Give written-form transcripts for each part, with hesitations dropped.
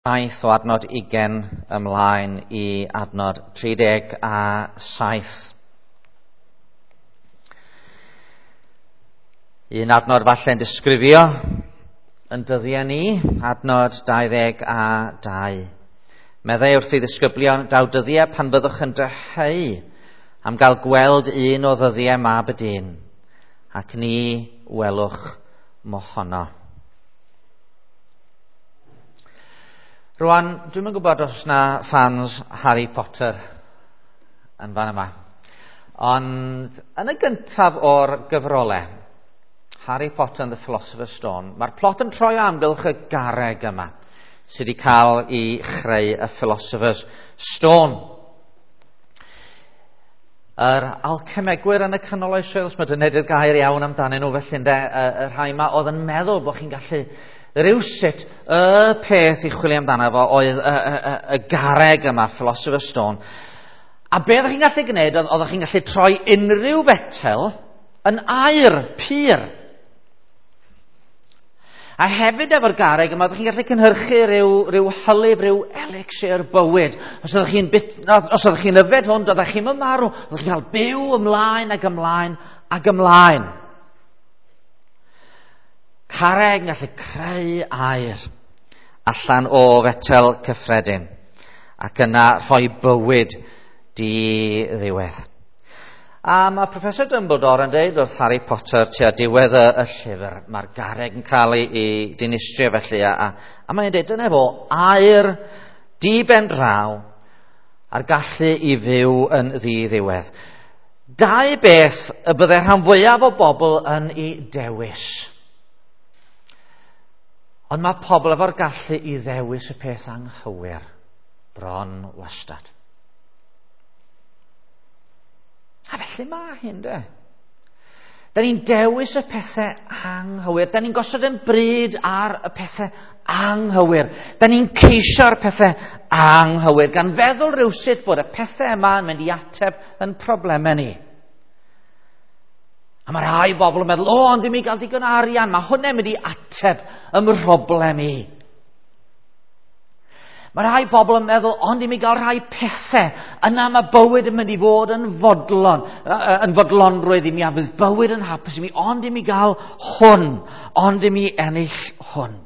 Saith o adnod 20 ymlaen i adnod 37. Un adnod falle'n disgrifio yn dyddiau ni, adnod 22. Meddai wrth ei ddisgyblion, daw dyddiau pan byddwch yn dyheu am gael gweld un o ddyddiau mab y dyn, ac ni welwch mohono. Rwan, dwi'm yn gwybod os na fans Harry Potter yn fan yma. Ond yn y gyntaf o'r gyfrolau, Harry Potter and the Philosopher's Stone, mae'r plot yn troi o amgylch y garreg yma sydd wedi cael ei chreu y Philosopher's Stone. Yr alchemegwyr yn y canol oesoedd, os mae dyna ydy'r gair iawn amdanyn nhw felly ynde, y rhai yma oedd yn meddwl bod chi'n gallu rywsut y peth i chwilio amdano fo oedd y garreg yma, Philosopher's Stone. A be oeddech chi'n gallu gwneud, oeddech chi'n gallu troi unrhyw fetel yn aur pur. A hefyd efo'r garreg yma, oeddech chi'n gallu cynhyrchu rhyw hylif, rhyw elixir bywyd. Os oeddech chi'n yfed hwn, doeddech chi'm yn marw, oeddech chi'n cael byw ymlaen ac ymlaen ac ymlaen. Carreg yn gallu creu aur allan o fetel cyffredin ac yna rhoi bywyd di-ddiwedd. A mae Professor Dumbledore yn dweud wrth Harry Potter tua diwedd y llyfr, mae'r garreg yn cael ei dinistrio felly, a mae'n dweud dyna fo, aur di-ben draw a'r gallu i fyw yn ddi-ddiwedd. Dau beth y byddai rhan fwyaf o bobl yn ei dewis. Ond mae pobl efo'r gallu i ddewis y peth anghywir bron wastad. A felly mae hyn, de. Da ni'n dewis y pethau anghywir. Da ni'n gosod yn bryd ar y pethau anghywir. Da ni'n ceisio'r pethau anghywir, gan feddwl rywsut bod y pethau yma yn mynd i ateb yn problemau ni. A mae rhai bobl yn meddwl, o, ond i mi gael digon arian, mae hwnna'n mynd i ateb ym mhroblem i. Mae rhai bobl yn meddwl, ond i mi gael rhai pethau, yna mae bywyd yn mynd i fod yn fodlon, yn fodlonrwydd i mi, a fydd bywyd yn hapus i mi, ond i mi gael hwn, ond i mi ennill hwn.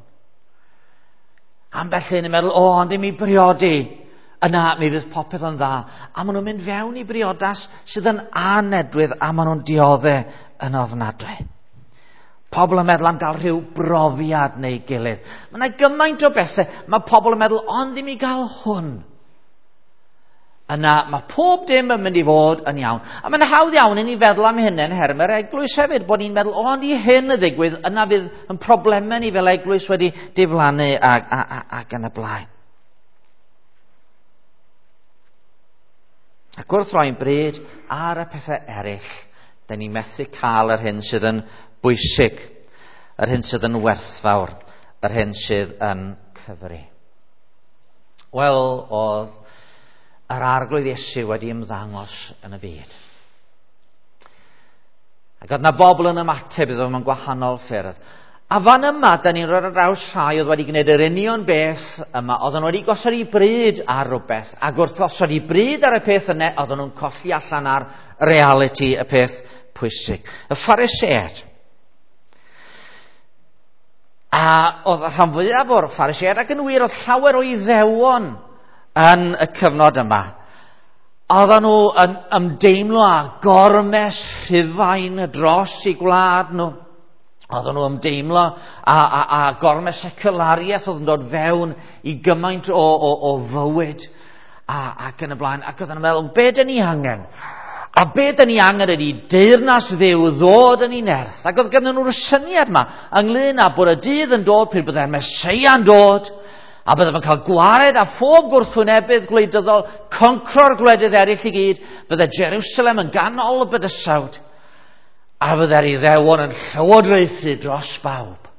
Ambell un yn meddwl, o, ond i mi briodi, yna mi fydd popeth yn dda. A maen nhw'n mynd fewn i briodas sydd yn anedwydd a maen nhw'n dioddef yn ofnadwy. Pobl yn meddwl am gael rhyw brofiad neu gilydd. Mae yna gymaint o bethau. Mae pobl yn meddwl, ond i mi gael hwn. Yna mae pob dim yn mynd i fod yn iawn. A mae'n hawdd iawn i ni feddwl am hynny yn nhermau'r eglwys hefyd, bod ni'n meddwl, ond i hyn y ddigwydd, yna fydd yn problemau ni fel eglwys wedi diflannu ac yn y blaen. Ac wrth roi'n bryd ar y pethau eraill, da ni methu cael yr hyn sydd yn bwysig, yr hyn sydd yn werthfawr, yr hyn sydd yn cyfri. Wel, oedd yr Arglwydd Iesu wedi ymddangos yn y byd. Ac oedd na bobl yn ymateb iddo mewn gwahanol ffyrdd. A fan yma, da ni'n rhoi ar draws rhai oedd wedi gwneud yr union beth yma, oedden nhw wedi gosod eu bryd ar rhywbeth, ac wrth osod eu bryd ar y peth yna, oedden nhw'n colli allan ar reality y peth pwysig. Y Phariseaid. A oedd y rhan fwyaf o'r Phariseaid, ac yn wir oedd llawer o Iddewon yn y cyfnod yma, oedden nhw yn ymdeimlo â gormes Rhufain dros eu gwlad nhw. Oedden nhw ymdeimlo a gormes seculariaeth oedd yn dod fewn i gymaint o fywyd ac yn y blaen. Ac oedden nhw'n meddwl, be dyn ni angen? A be dyn ni angen ydy deyrnas Dduw ddod yn ei nerth. Ac oedd ganddyn nhw'r syniad yma ynglyn â bod y dydd yn dod pryd byddai'r Meseia'n dod, a bydde fe'n cael gwared â phob gwrthwynebydd gwleidyddol, concro'r gwledydd eraill i gyd, bydde Jerusalem yn ganol y bydysawd, a fydde'r Iddewon yn llywodraethu dros bawb.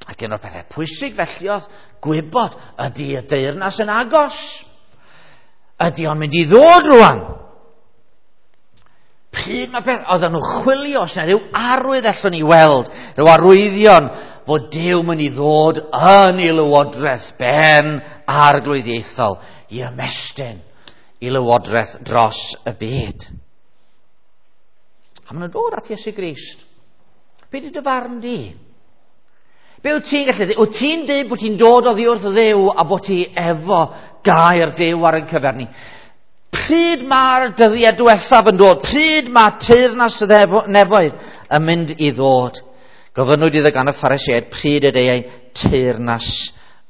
Ac un o'r pethau pwysig felly oedd gwybod, ydy y deyrnas yn agos? Ydy o'n mynd i ddod rwan? Pryd mae peth, oedden nhw chwilio, os yna rhyw arwydd allwn ni weld, rhyw arwyddion fod Duw mynd i ddod yn ei lywodraeth ben arglwyddiaethol i ymestyn i lywodraeth dros y byd. A maen nhw'n dod at Iesu Grist. Be di dy farn di? Be wyt ti'n gallu dweud? Wyt ti'n dweud bod ti'n dod oddi wrth Dduw a bod ti efo gair Duw ar ein cyfer ni? Pryd mae'r dyddiau diwethaf yn dod? Pryd mae teyrnas y nefoedd yn mynd i ddod? Gofynnwyd iddo gan y Pharisïaid pryd y deuai teyrnas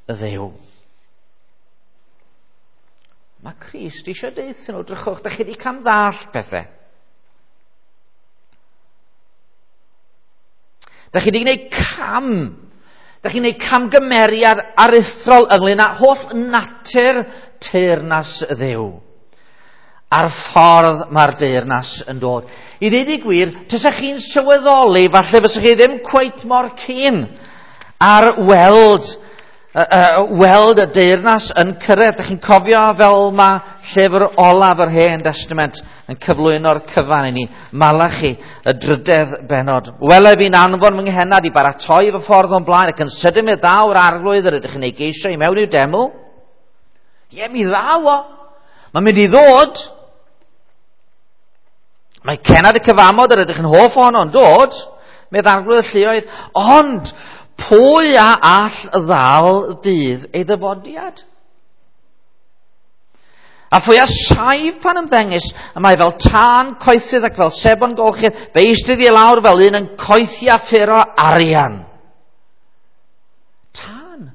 y Dduw. Mae Crist eisiau deuthyn nhw, drychwch, da chi wedi camddall pethau. Da chi wedi gwneud cam. Da chi'n gwneud camgymeriad aruthrol ynglyn â holl natur teyrnas y Dduw. A'r ffordd mae'r deyrnas yn dod. I ddweud y gwir, tysach chi'n sylweddoli, falle fysach chi ddim cweit mor keen ar weld, weld y deyrnas yn cyrraedd. Dych chi'n cofio fel mae llyfr olaf yr Hen Testament yn cyflwyno'r cyfan i ni, Malachi, y drydedd bennod. Wele fi'n anfon fy nghennad i baratoi fy ffordd o'n blaen ac yn sydyn mi ddaw'r arglwydd yr ydych chi'n ei geisio i mewn i'w deml. Ie, mi ddaw o. Mae'n mynd i ddod. Mae cenad y cyfamod yr ydych yn hoff ohono yn dod, medd arglwydd y lluoedd, ond pwy a all ddal dydd ei ddyfodiad? A phwy a saif pan ymddengys, y mae fel tân coethydd ac fel sebon golchydd, fe eistedd i lawr fel un yn coethi a ffuro arian. Tân.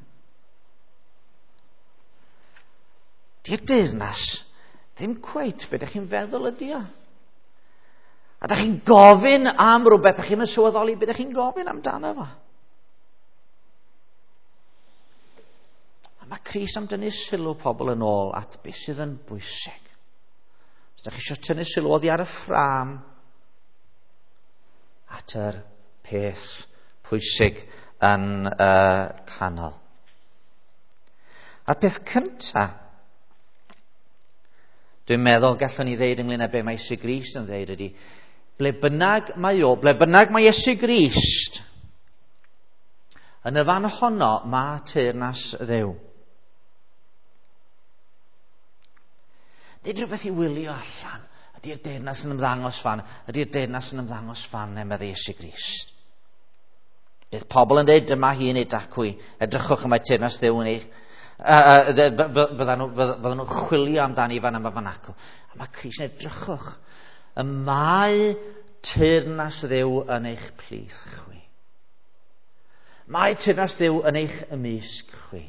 Di'r deyrnas ddim cweit be ydych chi'n feddwl ydi o. A ydych chi'n gofyn am rhywbeth, ydych chi'n sylweddoli beth ydych chi'n gofyn amdano fo. A mae Crist am dynnu sylw pobl yn ôl at beth sydd yn bwysig. Os ydych chi eisiau tynnu sylw oddi ar y ffrâm at yr peth pwysig yn y canol. A'r peth cyntaf, dwi'n meddwl gallwn ni ddeud ynglyn â be mae Iesu Grist yn ddeud ydy, ble bynnag mae o, ble bynnag mae Iesu Grist, yn y fan honno mae teyrnas Dduw. Nid rhywbeth i wylio allan. Ydy'r deyrnas yn ymddangos fan? Ydy'r deyrnas yn ymddangos fan, meddai Iesu Grist. Bydd pobl yn dweud dyma hi neu dacw, edrychwch y mae teyrnas Dduw yn eich... Fyddan nhw'n chwilio amdani fan yma fan acw. A mae Crist yn edrychwch. Y mae teyrnas Dduw yn eich plith chwi. Mae teyrnas Dduw yn eich ymysg chwi.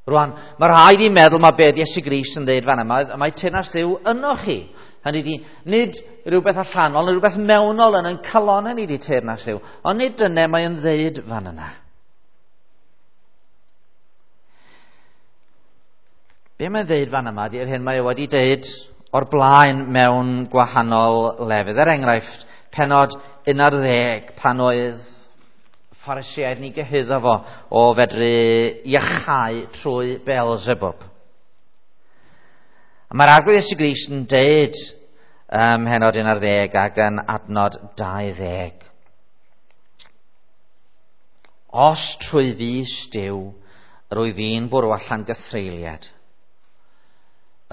Rwan, mae rhaid i meddwl mae beth Iesu Grist yn dweud fan yma, mae teyrnas Dduw yno chi. Hynny ydi, nid rhywbeth allanol, nid rhywbeth mewnol yn ein calonnau ni di teyrnas Dduw, ond nid dyna mae'n dweud fan yna. Be mae'n dweud fan yma ydy'r hyn mae wedi dweud o'r blaen mewn gwahanol lefydd. Er enghraifft, pennod 11, pan oedd Pharisïaid ni gyhuddo fo o fedru iachau trwy Beelzebub. A mae'r Arglwydd Iesu Grist yn deud ym mhennod 11 ac yn adnod 20. Os trwy fys Duw rwy fi'n bwrw allan gythreuliad,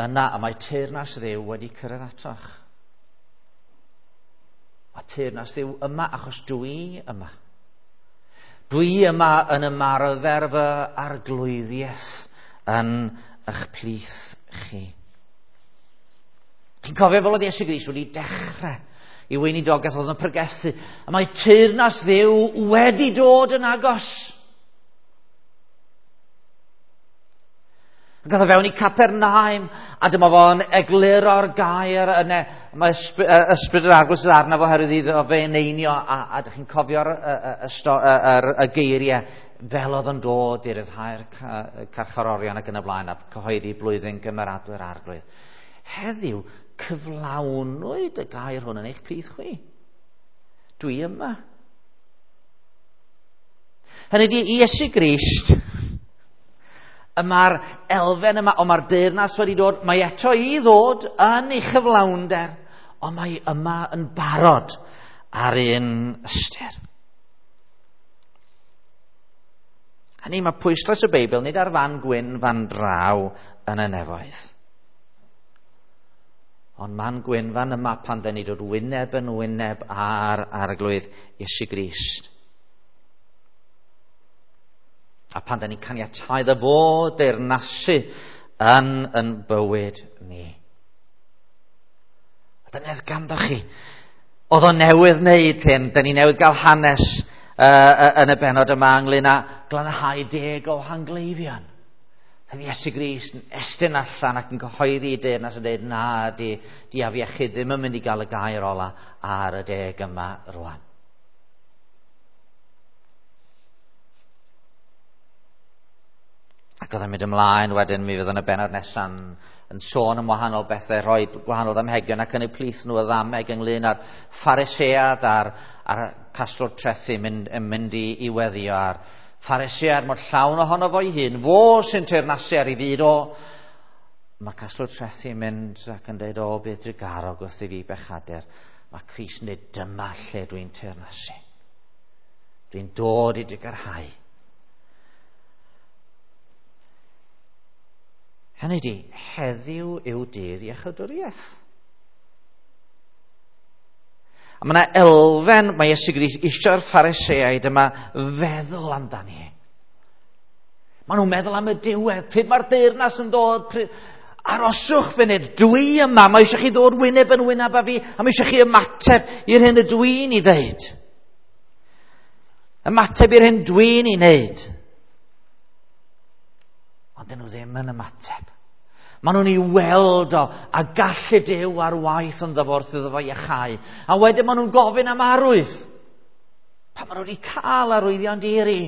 yna y mae teyrnas Dduw wedi cyrraedd atoch. Mae teyrnas Dduw yma achos dwi yma. Dwi yma yn ymarfer fy arglwyddiaeth yn eich plith chi. Chi'n cofio fel oedd Iesu Grist wedi dechrau i weinidogaeth oedd yn pregethu. A mae teyrnas Dduw wedi dod yn agos. Ac oedd o fewn i Capernaum, a dyma fo'n egluro'r gair yna. Mae ysbryd yr Arglwydd sydd arno fo oherwydd iddo fe eneinio, a dych chi'n cofio'r y geiriau fel oedd yn dod i ryddhau'r carcharorion ac yn y blaen, a cyhoeddi blwyddyn gymeradwy'r Arglwydd. Heddiw, cyflawnwyd y gair hwn yn eich plith chwi. Dwi yma. Hynny ydi, Iesu Grist, y mae'r elfen yma, ond mae'r deyrnas wedi dod, mae eto i ddod yn ei chyflawnder, ond mae yma yn barod ar un ystyr. Hynny, mae pwyslais y Beibl nid ar fan gwyn fan draw yn y nefoedd. Ond man gwyn fan yma pan dyn ni dod wyneb yn wyneb ar Arglwydd Iesu Grist. A pan dyn ni'n caniatáu iddo fo deyrnasu yn yn bywyd ni. A dyna oedd ganddo chi. Oedd o newydd wneud hyn, dyn ni newydd gael hanes yn y bennod yma ynglyn â glanhau 10 o hangleifion. Oedd Iesu Grist yn estyn allan ac yn cyhoeddi i deyrnas yn dweud, na, di afiechyd ddim yn mynd i gael y gair ola ar y 10 yma rwan. Ac oedd yn mynd ymlaen wedyn, mi fydd yn y bennod nesa'n yn sôn am wahanol bethau, rhoi gwahanol ddamhegion ac yn eu plith nhw y ddameg ynglyn â'r Pharisead a'r casglwr trethi yn mynd i weddio a'r Pharisead mor llawn ohono fo'i hun, fo sy'n teyrnasu ar ei fyd o. Mae casglwr trethi yn mynd ac yn dweud, o, bydd drugarog wrth i fi bechadur. Mae Crist yn dweud, dyma lle dwi'n teyrnasu. Dwi'n dod i drugarhau. Hynny di, heddiw yw dydd iechydwriaeth. A mae yna elfen, mae Iesu Grist eisiau'r Phariseaid yma feddwl amdani. Maen nhw'n meddwl am y diwedd, pryd mae'r deyrnas yn dod, pryd... Aroswch funud, dwi yma, mae eisiau chi ddod wyneb yn wyneb â fi, a mae eisiau chi ymateb i'r hyn y dwi'n ei ddeud. Ymateb i'r hyn dwi'n ei wneud. Ond dyn nhw ddim yn ymateb. Maen nhw'n ei weld o a gallu Duw ar waith yn ddyfo wrth iddo fo iachau. A wedyn maen nhw'n gofyn am arwydd. Pan maen nhw wedi cael arwyddion diri.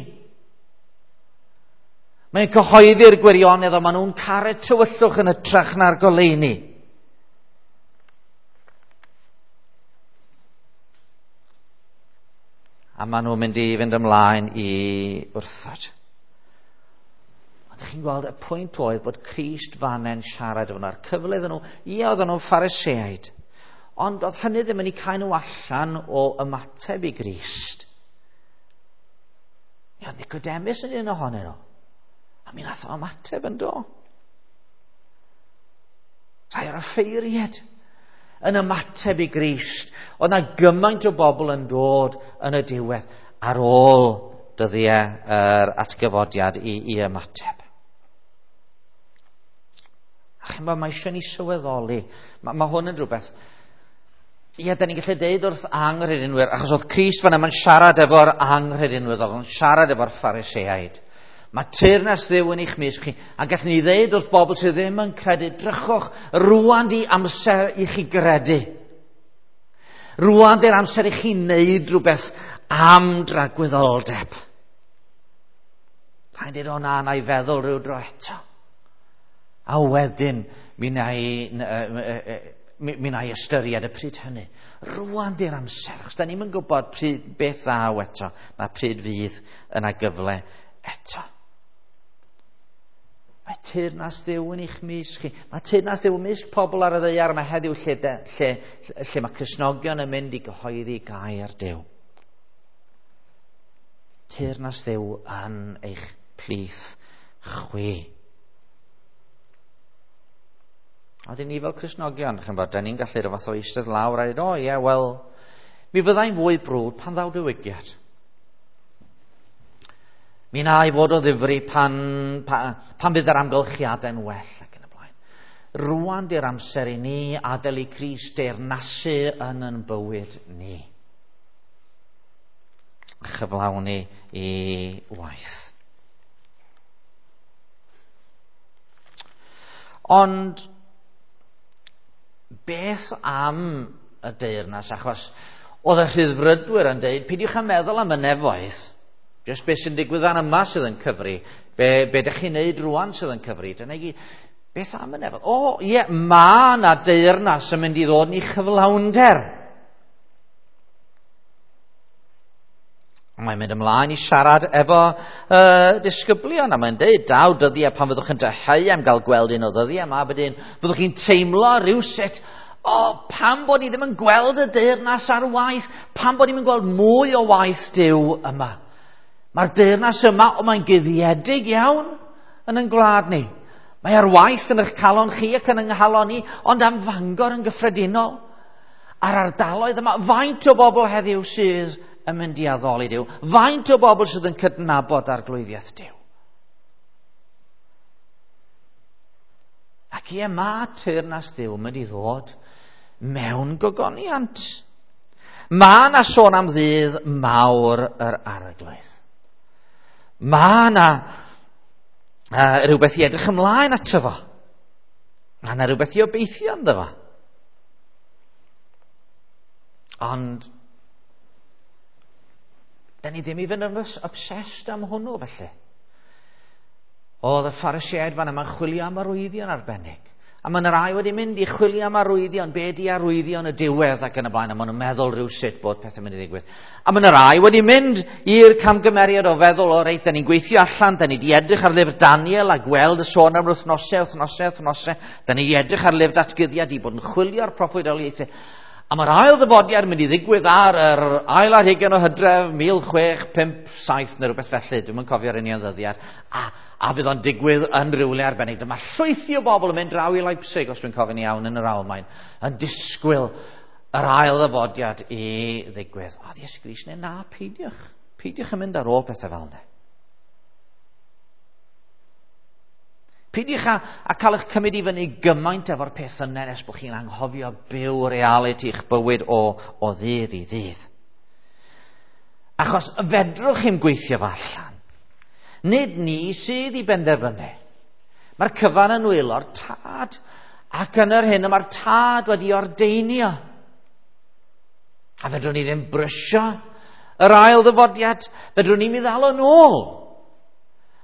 Mae'n cyhoeddi'r gwirionedd, ond maen nhw'n caru tywyllwch yn hytrach na'r goleuni. A maen nhw'n mynd i fynd ymlaen i wrthod. Ond chi'n gweld y pwynt oedd bod Crist fanne'n siarad efo nhw, a'r cyfle iddyn nhw, ie, oedden nhw'n Phariseaid, ond oedd hynny ddim yn eu cael nhw allan o ymateb i Grist. Ie, oedd Nicodemus yn un ohonyn nhw, a mi nath o ymateb yn do. Rhai o'r offeiriaid yn ymateb i Grist. Oedd na gymaint o bobl yn dod yn y diwedd ar ôl dyddiau yr atgyfodiad i ymateb. A chi'n bod, mae eisiau ni sylweddoli. Mae hwn yn rhywbeth. Ie, da ni'n gallu deud wrth anghredinwyr, achos oedd Crist fan yma'n siarad efo'r anghredinwyr, oedd o'n siarad efo'r Phariseaid. Mae teyrnas Dduw yn eich mysg chi, a gallwn ni ddeud wrth bobl sydd ddim yn credu, drychwch, rwan di amser i chi gredu. Rwan di'r amser i chi wneud rhywbeth am dragwyddoldeb. Rhaid dweud, o na, na i feddwl rhyw dro eto. A wedyn, mi na i ystyried y pryd hynny. Rwan di'r amser, achos da ni'm yn gwybod pryd beth ddaw eto, na pryd fydd yna gyfle eto. Mae teyrnas Dduw yn eich mysg chi. Mae teyrnas Dduw ymysg pobl ar y ddaear yma heddiw lle mae Cristnogion yn mynd i gyhoeddi gair Duw. Teyrnas Dduw yn eich plith chwi. A dyn ni fel Cristnogion, chi'n bod, da ni'n gallu rhyw fath o eistedd lawr a dweud, o ie, wel, mi fyddai'n fwy brwd pan ddaw diwygiad. Mi na i fod o ddifri pan fydd yr amgylchiadau'n well ac yn y blaen. Rwan di'r amser i ni adael i Crist deyrnasu yn yn bywyd ni. Chyflawni i waith. Ond beth am y deyrnas? Achos oedd y rhyddfrydwyr yn deud, peidiwch â meddwl am y nefoedd. Jyst beth sy'n digwydd fan yma sydd yn cyfri. Be ydych chi'n neud rwan sydd yn cyfri. Dyna i gyd. Beth am y nefoedd? O, ie, mae yna deyrnas yn mynd i ddod ni chyflawnder. Mae'n mynd ymlaen i siarad efo disgyblion, a mae'n deud, daw dyddiau pan fyddwch yn dyheu am gael gweld un o ddyddiau yma, byddwch chi'n teimlo rhywsut, o, pam bod ni ddim yn gweld y deyrnas ar waith, pam bod ni'n gweld mwy o waith Duw yma. Mae'r deyrnas yma, o mae'n guddiedig iawn yn ein gwlad ni. Mae ar waith yn eich calon chi ac yn yng nghalon ni, ond am Fangor yn gyffredinol. A'r ardaloedd yma, faint o bobl heddiw sydd yn mynd i addoli Duw? Faint o bobl sydd yn cydnabod arglwyddiaeth Duw? Ac ie, mae teyrnas Dduw yn mynd i ddod mewn gogoniant. Mae yna sôn am ddydd mawr yr arglwydd. Mae yna rhywbeth i edrych ymlaen ato fo. Mae yna rhywbeth i obeithio ynddo fo. Ond, da ni ddim i fynd yn obsessed am hwnnw felly. Oedd y Pharisïaid fan yma'n chwilio am arwyddion arbennig. A mae yna rai wedi mynd i chwilio am arwyddion, be di arwyddion y diwedd ac yn y blaen, a maen nhw'n meddwl rhywsut bod pethau'n mynd i ddigwydd. A mae yna rai wedi mynd i'r camgymeriad o feddwl, o reit, da ni'n gweithio allan, da ni wedi edrych ar lyfr Daniel a gweld y sôn am wythnosau, wythnosau, wythnosau, da ni wedi edrych ar lyfr datguddiad i bod yn chwilio'r proffwydoliaethau. A mae'r ail ddyfodiad yn mynd i ddigwydd ar yr ail ar hugain o Hydref 1657 neu rhywbeth felly, dwi'm yn cofio'r union ddyddiad, a fydd o'n digwydd yn rhywle arbennig. Dyma llwythi o bobl yn mynd draw i Leipzig, os dwi'n cofio'n iawn, yn yr Almaen, yn disgwyl yr ail ddyfodiad i ddigwydd. O, Iesu Grist, neu na, peidiwch. Peidiwch yn mynd ar ôl pethau fel yna. Peidiwch a cael eich cymryd i fyny gymaint efo'r peth yna nes bod chi'n anghofio byw realiti eich bywyd o ddydd i ddydd. Achos fedrwch chi'm gweithio fo allan. Nid ni sydd i benderfynu. Mae'r cyfan yn nwylo'r tad, ac yn yr hyn y mae'r tad wedi ordeinio. A fedrwn ni ddim brysio yr ail ddyfodiad, fedrwn ni'm i ddal o'n ôl.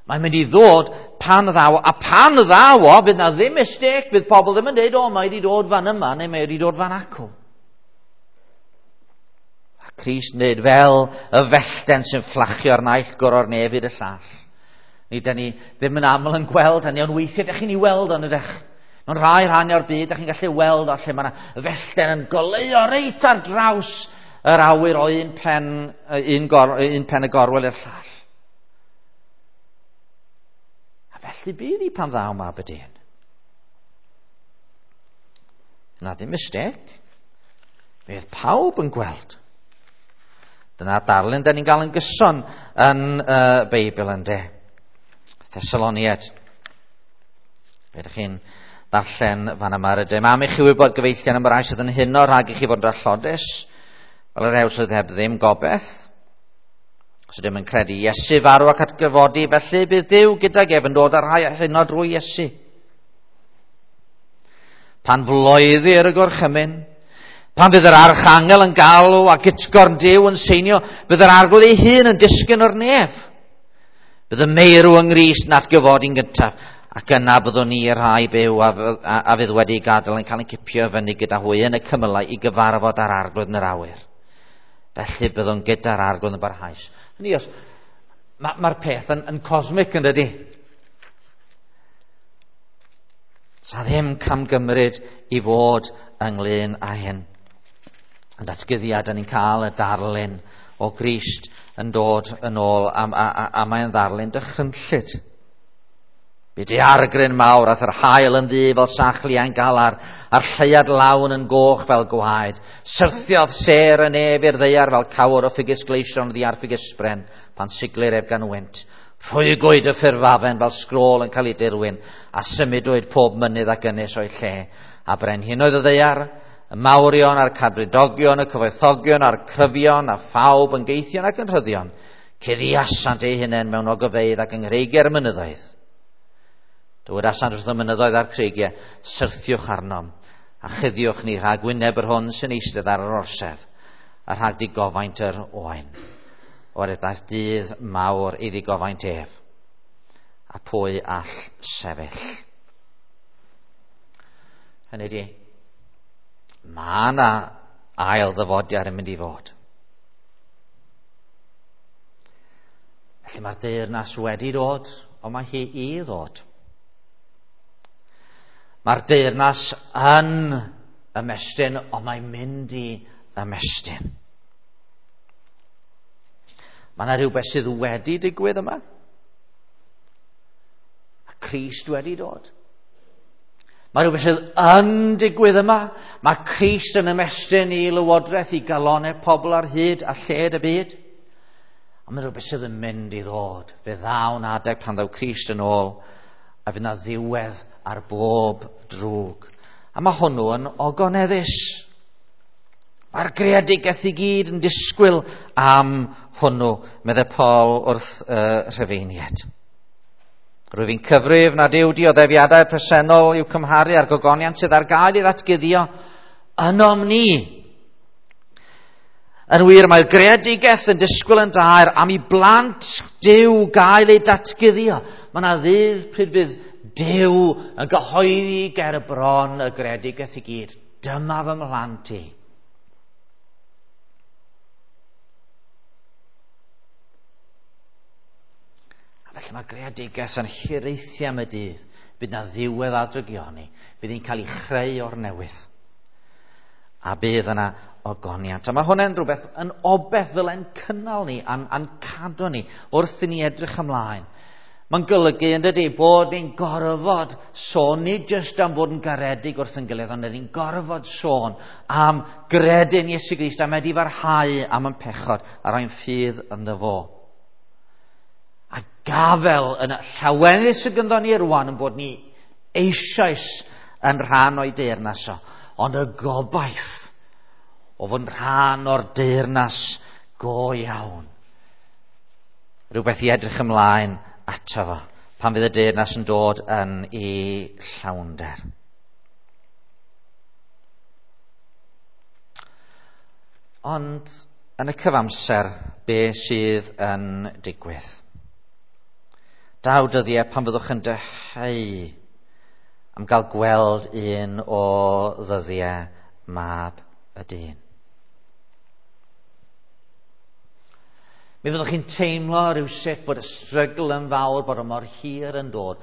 Mae'n mynd i ddod pan ddaw, a pan ddaw o, fydd na ddim mistake, fydd pobl ddim yn dweud, o, mae wedi dod fan yma, neu mae wedi dod fan acw. A Crist yn dweud, fel y fellten sy'n fflachio'r naill gwr o'r nef i'r llall. Ni da ni ddim yn aml yn gweld hynny, ond weithiau ydych chi'n ei weld ond ydych. Mewn rhai rhannau o'r byd, ydych chi'n gallu weld o lle mae yna fellten yn goleuo reit ar draws yr awyr o un pen y gorwel i'r llall. A felly bydd i pan ddaw mab y dyn. Na ddim mistake. Fydd pawb yn gweld. Dyna darlun da ni'n gael yn gyson yn y Beibl ynde. Thessaloniaid. Be ydych chi'n darllen fan yma rydym. Am i chi wybod gyfeillion am y rai sydd yn huno rhag i chi fod yn drallodus, fel yr ew sydd heb ddim gobeith. Os ydym yn credu Iesu farw ac atgyfodi, felly bydd Duw gydag ef yn dod â'r rhai huno drwy Iesu. Pan floeddir y gorchymyn, pan fydd yr archangel yn galw ac utgorn Duw yn seinio, bydd yr arglwydd ei hun yn disgyn o'r nef. Bydd y meirw yng Nghrist yn atgyfodi'n gyntaf, ac yna byddwn ni i'r rhai byw a fydd wedi gadael yn cael ein cipio fyny gyda hwy yn y cymylau i gyfarfod â'r arglwydd yn yr awyr. Felly byddwn gyda'r arglwydd yn barhaus. Hynny os, mae'r peth yn cosmic yn dydi? Sa ddim camgymryd i fod ynglyn â hyn. Yn datguddiad, da ni'n cael y darlun o Grist yn dod yn ôl, a mae'n ddarlun dychrynllyd. Bu daeargryn mawr ath yr haul yn ddu fel sach liain galar, a'r lleuad lawn yn goch fel gwaed. Syrthiodd sêr y nef i'r ddaear fel cawr o ffigys gleision oddi ar ffigysbren, pan siglir ef gan wynt. Rhwygwyd y ffurfafen fel sgrôl yn cael ei dirwyn, a symudwyd pob mynydd ac ynys o'i lle. A brenhinoedd y ddaear, y mawrion a'r cadfridogion, y cyfoethogion a'r cryfion, a phawb yn geithion ac yn rhyddion, cuddiasant eu hunain mewn ogofeydd ac yng nghreigiau'r mynyddoedd. Dywedasant wrth y mynyddoedd a'r creigiau, syrthiwch arnom, a chuddiwch ni rhag wyneb yr hwn sy'n eistedd ar yr orsedd, a rhag digofaint yr oen. O'r daeth dydd mawr i ddigofaint ef, a pwy all sefyll. Hynny ydi, mae yna ail ddyfodiad yn mynd i fod. Felly mae'r deyrnas wedi dod, ond mae hi i ddod. Mae'r deyrnas yn ymestyn, ond mae'n mynd i ymestyn. Mae yna rhywbeth sydd wedi digwydd yma. A Crist wedi dod. Mae rhywbeth sydd yn digwydd yma. Mae Crist yn ymestyn i lywodraeth i galonau pobl ar hyd a lled y byd. A mae rhywbeth sydd yn mynd i ddod. Fe ddaw'n adeg pan ddaw Crist yn ôl a fydd na ddiwedd ar bob drwg. A mae hwnnw yn ogoneddus. Mae'r greadigaeth i gyd yn disgwyl am hwnnw, meddai Paul wrth y Rhufeiniaid. Rwyf fi'n cyfrif nad yw dioddefiadau presennol i'w cymharu â'r gogoniant sydd ar gael i ddatguddio ynom ni. Yn wir, mae'r greadigaeth yn disgwyl yn daer am i blant Duw gael eu datguddio. Mae yna ddydd pryd bydd Duw yn gyhoeddi ger y bron y greadigaeth i gyd. Dyma fy mhlant i. A felly mae greadigaeth yn hiraethu am y dydd. Bydd na ddiwedd ar drygioni. Bydd hi'n cael ei chreu o'r newydd. A bydd yna ogoniant. A mae hwnna'n rhywbeth yn obeth ddyle'n cynnal ni a'n cadw ni wrth i ni edrych ymlaen. Mae'n golygu yn dydy bod ni'n gorfod sôn, nid jyst am fod yn garedig wrth yn gilydd, ond ni'n gorfod sôn am gredu'n Iesu Grist, am edifarhau am yn pechod a roi'n ffydd ynddo fo. A gafel yn y llawenydd sydd gyda ni rwan yn bod ni eisoes yn rhan o'i deyrnas o, ond y gobaith o fod yn rhan o'r deyrnas go iawn. Rhywbeth i edrych ymlaen ato fo, pan fydd y deyrnas yn dod yn ei llawnder. Ond yn y cyfamser, be sydd yn digwydd? Daw dyddiau pan fyddwch yn dyheu am gael gweld un o ddyddiau mab y dyn. Mi fyddwch chi'n teimlo rhywsut bod y strygl yn fawr, bod o mor hir yn dod.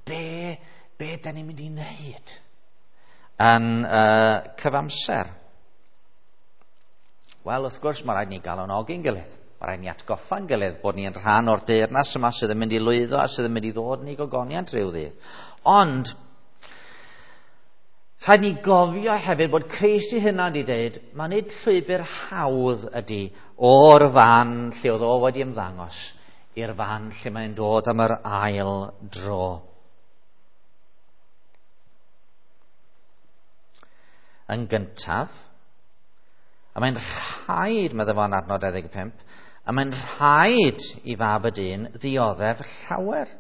Be da ni'n mynd i wneud yn cyfamser? Wel, wrth gwrs, mae rhaid ni galonogi'n gilydd. Mae rhaid ni atgoffa'n gilydd bod ni'n rhan o'r deyrnas yma sydd yn mynd i lwyddo a sydd yn mynd i ddod yn ei gogoniant rhyw ddydd. Ond, rhaid ni gofio hefyd bod Crist ei hunan wedi dweud, mae nid llwybr hawdd ydy o'r fan lle oedd o wedi ymddangos i'r fan lle mae'n dod am yr ail dro. Yn gyntaf, a mae'n rhaid, meddai fo'n adnod 25, a mae'n rhaid i fab y dyn ddioddef llawer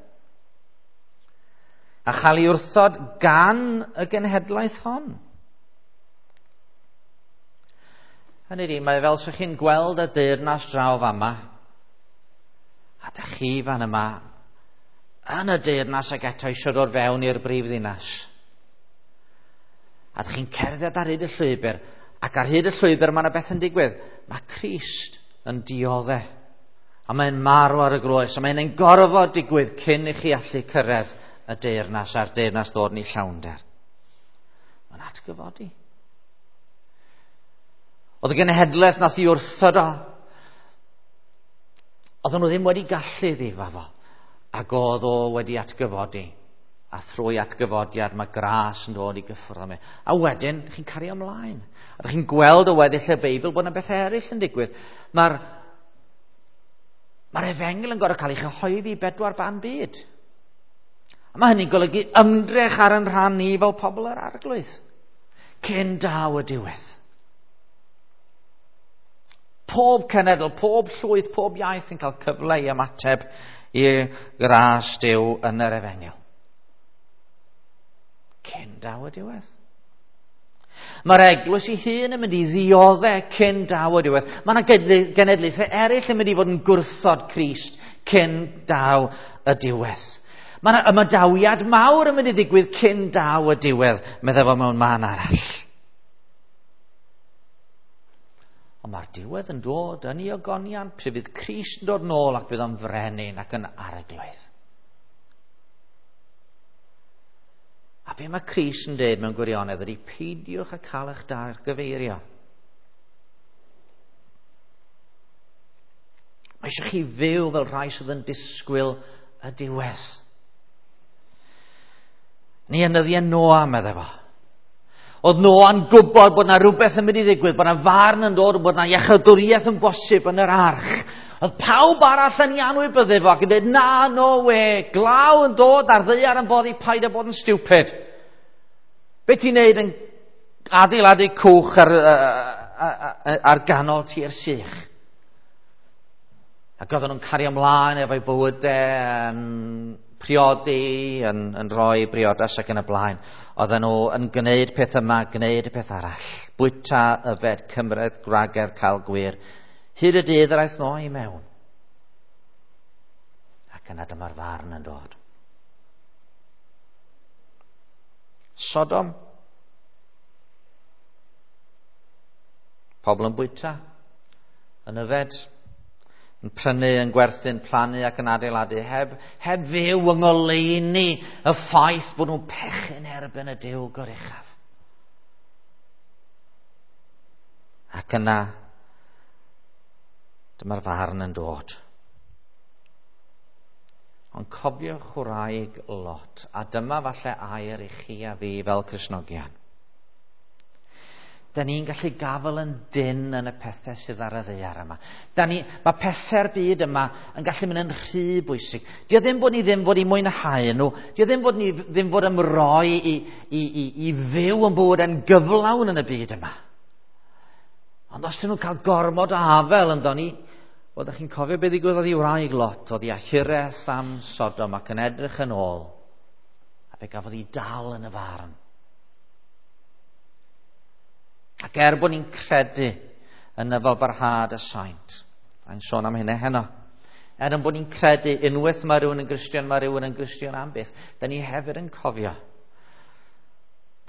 a chael ei wrthod gan y genhedlaeth hon. Hynny ydi, mae fel sa'ch chi'n gweld y deyrnas draw fama, a dych chi fan yma yn y deyrnas ac eto eisiau dod fewn i'r brif ddinas. A dych chi'n cerdded ar hyd y llwybr, ac ar hyd y llwybr mae yna beth yn digwydd. Mae Crist yn diodde, a mae'n marw ar y groes, a mae'n ein gorfod digwydd cyn i chi allu cyrraedd y deyrnas a'r deyrnas ddod yn ei llawnder. Mae'n atgyfodi. Oedd y genhedlaeth nath i wrthod o. Oedden nhw ddim wedi gallu ddifa fo, ac oedd o wedi atgyfodi. A thrwy atgyfodiad mae gras yn dod i gyffwrdd am e. A wedyn, chi'n cario ymlaen. A chi'n gweld o weddill y Beibl bod yna bethau eraill yn digwydd. Mae'r efengyl yn gorfod cael ei chyhoeddi i bedwar ban byd. A mae hynny'n golygu ymdrech ar yn rhan ni fel pobl yr Arglwydd. Cyn daw y diwedd. Pob cenedl, pob llwyth, pob iaith yn cael cyfle i ymateb i gras Duw yn yr efengyl. Cyn daw y diwedd. Mae'r eglwys ei hun yn mynd i ddioddef cyn daw y diwedd. Mae yna genedlaethau eraill yn mynd i fod yn gwrthod Crist cyn daw y diwedd. Mae yna ymadawiad mawr yn mynd i ddigwydd cyn daw y diwedd, meddai fo mewn man arall. Ond mae'r diwedd yn dod yn ei ogoniant, pryd fydd Crist yn dod nôl ac fydd o'n frenin ac yn arglwydd. A be mae Crist yn dweud mewn gwirionedd ydy peidiwch â cael eich dargyfeirio. Mae eisiau chi fyw fel rhai sydd yn disgwyl y diwedd. Ni yn nyddiau Noa, meddai fo. Oedd Noa'n gwybod bod na rhywbeth yn mynd i ddigwydd, bod na farn yn dod, bod na iechydwriaeth yn bosib yn yr arch. Oedd pawb arall yn ei anwybyddu fo ac yn dweud, na, no way, glaw yn dod a'r ddaear yn boddi, paid â bod yn stupid. Be ti'n neud yn adeiladu cwch ar ganol tir sych? Ac oedden nhw'n cario ymlaen efo'i bywydau, yn priodi, yn rhoi briodas ac yn y blaen. Oedden nhw yn gwneud peth yma, gwneud y peth arall. Bwyta, yfed, cymryd, gwragedd, cael gwir. Hyd y dydd yr aeth Noa i mewn. Ac yna dyma'r farn yn dod. Sodom. Pobl yn bwyta, yn yfed, yn prynu, yn gwerthu, yn plannu ac yn adeiladu, heb fyw yng ngoleuni y ffaith bod nhw'n pechu'n erbyn y Duw goruchaf. Ac yna, dyma'r farn yn dod. Ond cofiwch wraig Lot, a dyma falle air i chi a fi fel Cristnogion. Da ni'n gallu gafael yn dynn yn y pethau sydd ar y ddaear yma. Mae pethau'r byd yma yn gallu mynd yn rhy bwysig. Dio ddim bod ni ddim fod i mwynhau nhw. Dio ddim bod ni ddim fod ymroi i fyw yn bywyd yn gyflawn yn y byd yma. Ond os dyn nhw'n cael gormod o afael ynddo ni, wel, dach chi'n cofio beth ddigwyddodd i wraig Lot, oedd hi â hiraeth am Sodom ac yn edrych yn ôl, a fe gafodd hi dal yn y farn. Ac er bod ni'n credu yn nyfalbarhad y saint, a'n sôn am hynny heno, er yn bod ni'n credu unwaith mae rhywun yn Gristion, mae rhywun yn Gristion am byth, da ni hefyd yn cofio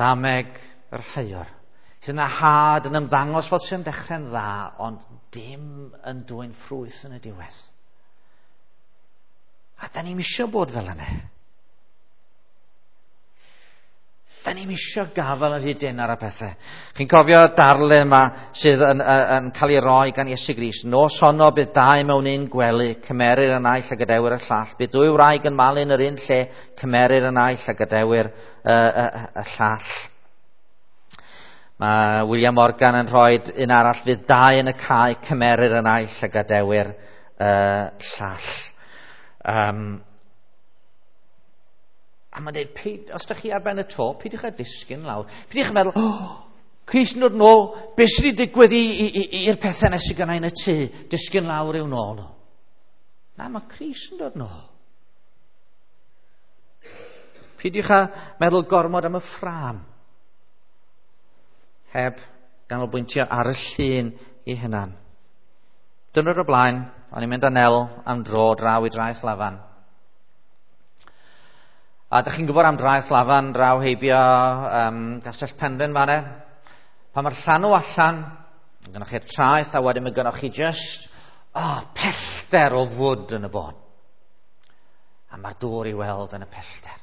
dameg yr haiwr, sydd yna had yn ymddangos fel sy'n dechrau'n dda, ond dim yn dwyn ffrwyth yn y diwedd. A da ni'n isio bod fel yna. Da ni'n isio gafael yn rhy dynn ar y pethau. Chi'n cofio darlun yma sydd yn cael ei roi gan Iesu Grist. Nos honno bydd dau mewn un gwely, cymerir y naill a gadewir y llall. Bydd dwy wraig yn malu yn yr un lle, cymerir y naill a gadewir y llall. Mae William Morgan yn rhoi un arall, fydd dau yn y cae, cymerir y naill a gadewir y llall. A mae'n dweud, os ydych chi ar ben y to, peidiwch â disgyn lawr. Peidiwch â meddwl, oh, Crist yn dod nôl, beth sydd wedi digwydd i'r pethau nes i gynnau yn y tŷ, disgyn lawr i'w nôl nhw. Na, mae Crist yn dod nôl. Peidiwch â meddwl gormod am y ffrâm. Heb ganolbwyntio ar y llun ei hunan. Diwrnod o'r blaen, o'n i'n mynd â Nel am dro draw i Draeth Lafan. A dych chi'n gwybod am Draeth Lafan, draw heibio Castell Penrhyn fan'na. Pan mae'r llanw allan, gynnoch chi'r traeth, a wedyn mae gynnoch chi just pellter o fwd yn y bôn. A mae'r dŵr i weld yn y pellter.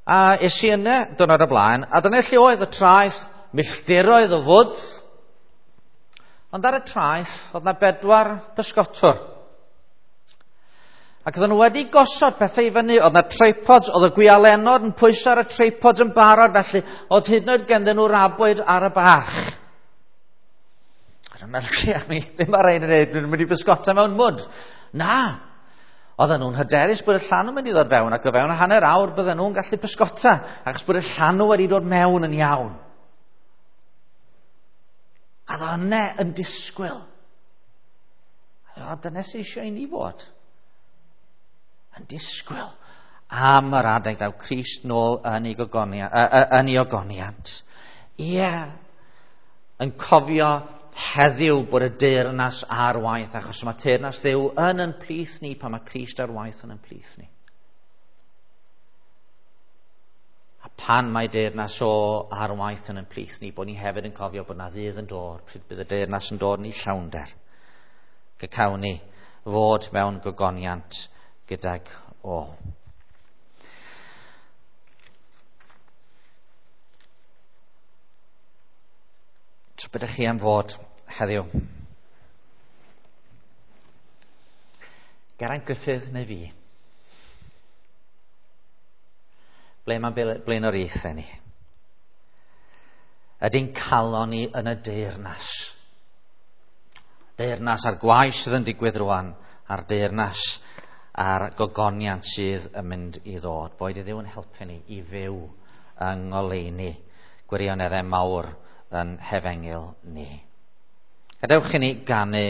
A es i yna diwrnod o'r blaen, a dyna lle oedd y traeth, milltiroedd o fwd. Ond ar y traeth, oedd na 4 pysgotwr. Ac oedden nhw wedi gosod pethau i fyny, oedd na tripods, oedd y gwialenod yn pwyso ar y tripods yn barod, felly oedd hyd yn oed ganddyn nhw rabwyd ar y bach. A dwi'n meddwl, ia, mi ddim ar ein yn dwi'n mynd i bysgota mewn mwd. Na, oedden nhw'n hyderus bod y llanw mynd i ddod fewn, ac o fewn hanner awr bydden nhw'n gallu pysgota, achos bod y llanw wedi dod mewn yn iawn. A oedd yna yn disgwyl. A dyna sydd eisiau i ni fod. Yn disgwyl am yr adeg daw Crist nôl yn ei ogoniant. Ie, yn cofio heddiw bod y deyrnas ar waith, achos mae teyrnas Dduw yn ein plith ni pan mae Crist ar waith yn ein plith ni. A pan mae deyrnas o ar waith yn ein plith ni, bod ni hefyd yn cofio bod na ddydd yn dod, pryd bydd y deyrnas yn dod yn ei llawnder. Cawn ni fod mewn gogoniant gydag o. So beth ydych chi am fod heddiw? Geraint Griffith neu fi? Ble mae blaenoriaethau ni? Ydy'n calon ni yn y deyrnas? Deyrnas a'r gwaith sydd yn digwydd rwan, a'r deyrnas a'r gogoniant sydd yn mynd i ddod. Boed i Dduw yn helpu ni i fyw yng ngoleuni gwirioneddau mawr yn hefengyl ni. Gadewch i ni ganu.